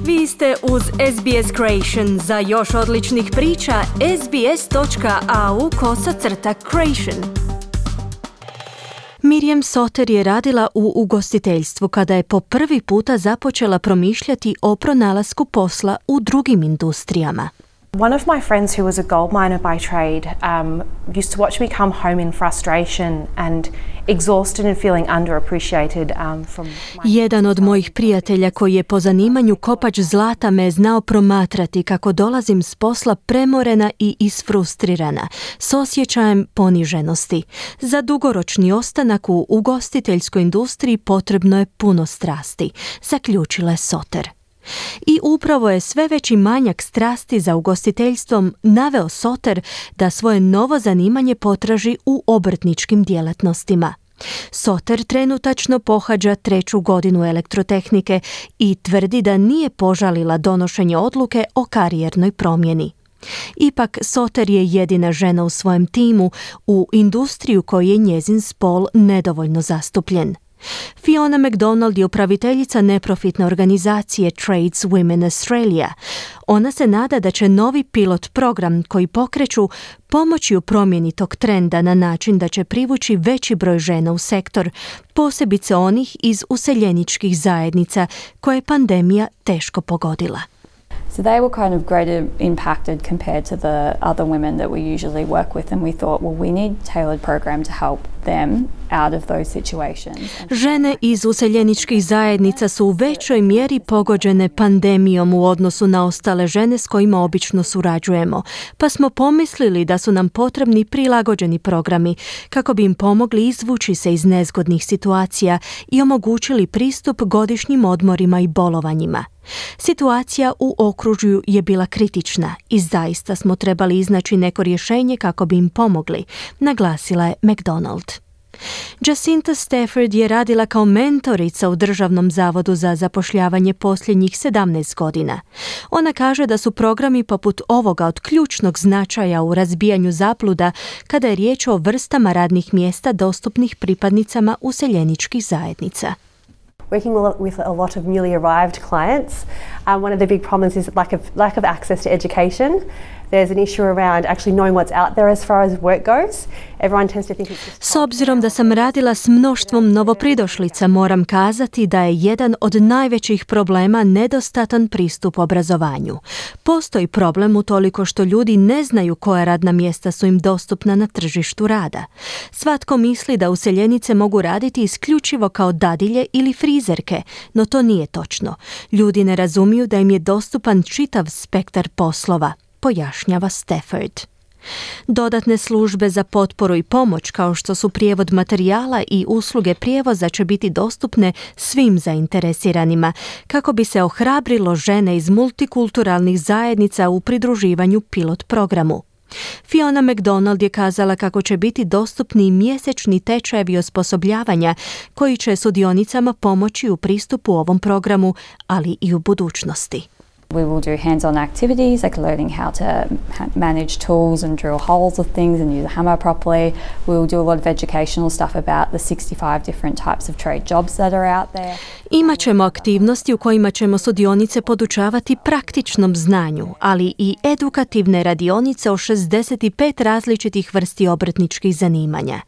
Vi ste uz SBS Creation. Za još odličnih priča, sbs.au/creation. Miriam Soter je radila u ugostiteljstvu kada je po prvi puta započela promišljati o pronalasku posla u drugim industrijama. One of my friends who was a gold miner by trade used to watch me come home in frustration and exhausted and feeling underappreciated from my... Jedan od mojih prijatelja koji je po zanimanju kopač zlata me je znao promatrati kako dolazim s posla premorena i isfrustrirana, s osjećajem poniženosti. Za dugoročni ostanak u ugostiteljskoj industriji potrebno je puno strasti, zaključila je Soter. I upravo je sve veći manjak strasti za ugostiteljstvom naveo Soter da svoje novo zanimanje potraži u obrtničkim djelatnostima. Soter trenutačno pohađa 3. godinu elektrotehnike i tvrdi da nije požalila donošenje odluke o karijernoj promjeni. Ipak Soter je jedina žena u svojem timu u industriju koji je njezin spol nedovoljno zastupljen. Fiona McDonald je upraviteljica neprofitne organizacije Trades Women Australia. Ona se nada da će novi pilot program koji pokreću pomoći u promjeni tog trenda na način da će privući veći broj žena u sektor, posebice onih iz useljeničkih zajednica koje je pandemija teško pogodila. So they were kind of greater impacted compared to the other women that we usually work with, and we thought, well, we need tailored program to help them out of those situations. Žene iz useljeničkih zajednica su u većoj mjeri pogođene pandemijom u odnosu na ostale žene s kojima obično surađujemo, pa smo pomislili da su nam potrebni prilagođeni programi kako bi im pomogli izvući se iz nezgodnih situacija i omogućili pristup godišnjim odmorima i bolovanjima. Situacija u okružju je bila kritična i zaista smo trebali iznaći neko rješenje kako bi im pomogli, naglasila je McDonald. Jacinta Stafford je radila kao mentorica u Državnom zavodu za zapošljavanje posljednjih 17 godina. Ona kaže da su programi poput ovoga od ključnog značaja u razbijanju zabluda kada je riječ o vrstama radnih mjesta dostupnih pripadnicama useljeničkih zajednica. Working with a lot of newly arrived clients, one of the big problems is lack of access to education. There's an issue around actually knowing what's out there as far as work goes. Everyone tends to think it's just... S obzirom da sam radila s mnoštvom novopridošlica, moram kazati da je jedan od najvećih problema nedostatan pristup obrazovanju. Postoji problem utoliko što ljudi ne znaju koja radna mjesta su im dostupna na tržištu rada. Svatko misli da useljenice mogu raditi isključivo kao dadilje ili frizerke, no to nije točno. Ljudi ne razumiju da im je dostupan čitav spektar poslova, pojašnjava Stafford. Dodatne službe za potporu i pomoć kao što su prijevod materijala i usluge prijevoza će biti dostupne svim zainteresiranima kako bi se ohrabrilo žene iz multikulturalnih zajednica u pridruživanju pilot programu. Fiona McDonald je kazala kako će biti dostupni mjesečni tečajevi osposobljavanja koji će sudionicama pomoći u pristupu ovom programu, ali i u budućnosti. We will do hands-on activities like learning how to manage tools and drill holes of things and use a hammer properly. We will do a lot of educational stuff about the 65 different types of trade jobs that are out there. Imaćemo aktivnosti u kojima ćemo sudionice podučavati praktičnom znanju, ali i edukativne radionice o 65 različitih vrsti obrtničkih zanimanja.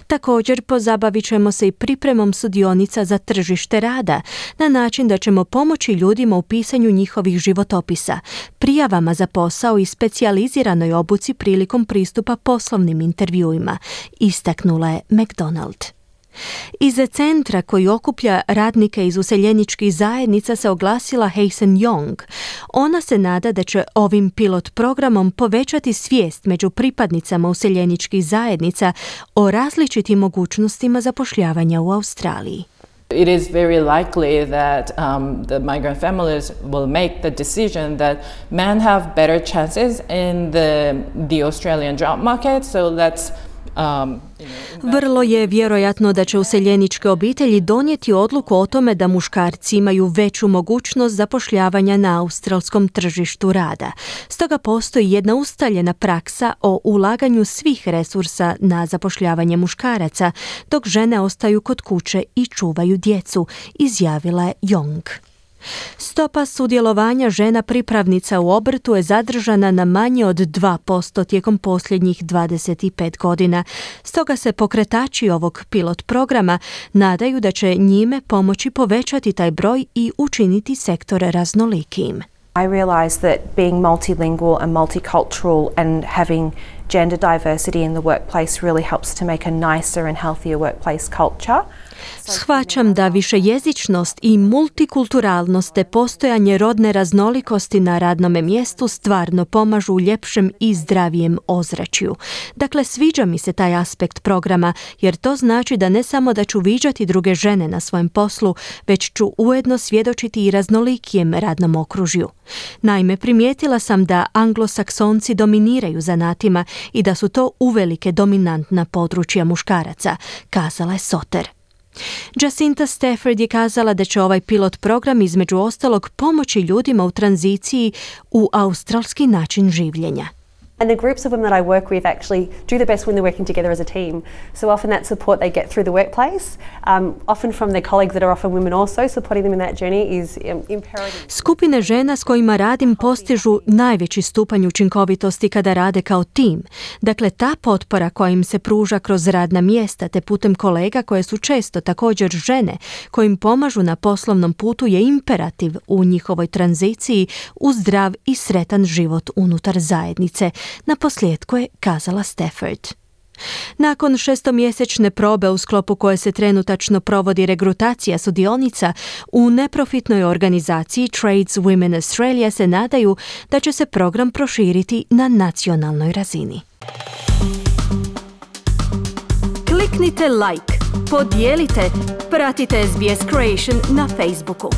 Također pozabavit ćemo se i pripremom sudionica za tržište rada na način da ćemo pomoći ljudima u pisanju njihovih životopisa, prijavama za posao i specijaliziranoj obuci prilikom pristupa poslovnim intervjuima, istaknula je McDonald. Iz centra koji okuplja radnike iz useljeničkih zajednica se oglasila Hazen Young. Ona se nada da će ovim pilot programom povećati svijest među pripadnicama useljeničkih zajednica o različitim mogućnostima zapošljavanja u Australiji. It is very likely that the migrant families will make the decision that men have better chances in the Australian job market, so let's Vrlo je vjerojatno da će useljeničke obitelji donijeti odluku o tome da muškarci imaju veću mogućnost zapošljavanja na australskom tržištu rada. Stoga postoji jedna ustaljena praksa o ulaganju svih resursa na zapošljavanje muškaraca, dok žene ostaju kod kuće i čuvaju djecu, izjavila je Young. Stopa sudjelovanja žena pripravnica u obrtu je zadržana na manje od 2% tijekom posljednjih 25 godina. Stoga se pokretači ovog pilot programa nadaju da će njime pomoći povećati taj broj i učiniti sektor raznolikijim. I realised that being multilingual and multicultural and having gender diversity in the workplace really helps to make a nicer and healthier workplace culture. Shvaćam da višejezičnost i multikulturalnost te postojanje rodne raznolikosti na radnome mjestu stvarno pomažu u ljepšem i zdravijem ozračju. Dakle, sviđa mi se taj aspekt programa, jer to znači da ne samo da ću viđati druge žene na svojem poslu, već ću ujedno svjedočiti i raznolikijem radnom okružju. Naime, primijetila sam da anglosaksonci dominiraju zanatima i da su to uvelike dominantna područja muškaraca, kazala je Soter. Jacinta Stafford je kazala da će ovaj pilot program između ostalog pomoći ljudima u tranziciji u australski način življenja. And the groups of women that I work with actually do the best when they're working together as a team. So often that support they get through the workplace, often from their colleagues that are often women also, supporting them in that journey is imperative. Skupine žena s kojima radim postižu najveći stupanj učinkovitosti kada rade kao tim. Dakle, ta potpora koja im se pruža kroz radna mjesta te putem kolega koje su često također žene, kojim pomažu na poslovnom putu je imperativ u njihovoj tranziciji u zdrav i sretan život unutar zajednice. Na posljedku je kazala Stafford. Nakon 6-mjesečne probe u sklopu koje se trenutačno provodi regrutacija sudionica, u neprofitnoj organizaciji Trades Women Australia se nadaju da će se program proširiti na nacionalnoj razini. Kliknite like, podijelite, pratite SBS Creation na Facebooku.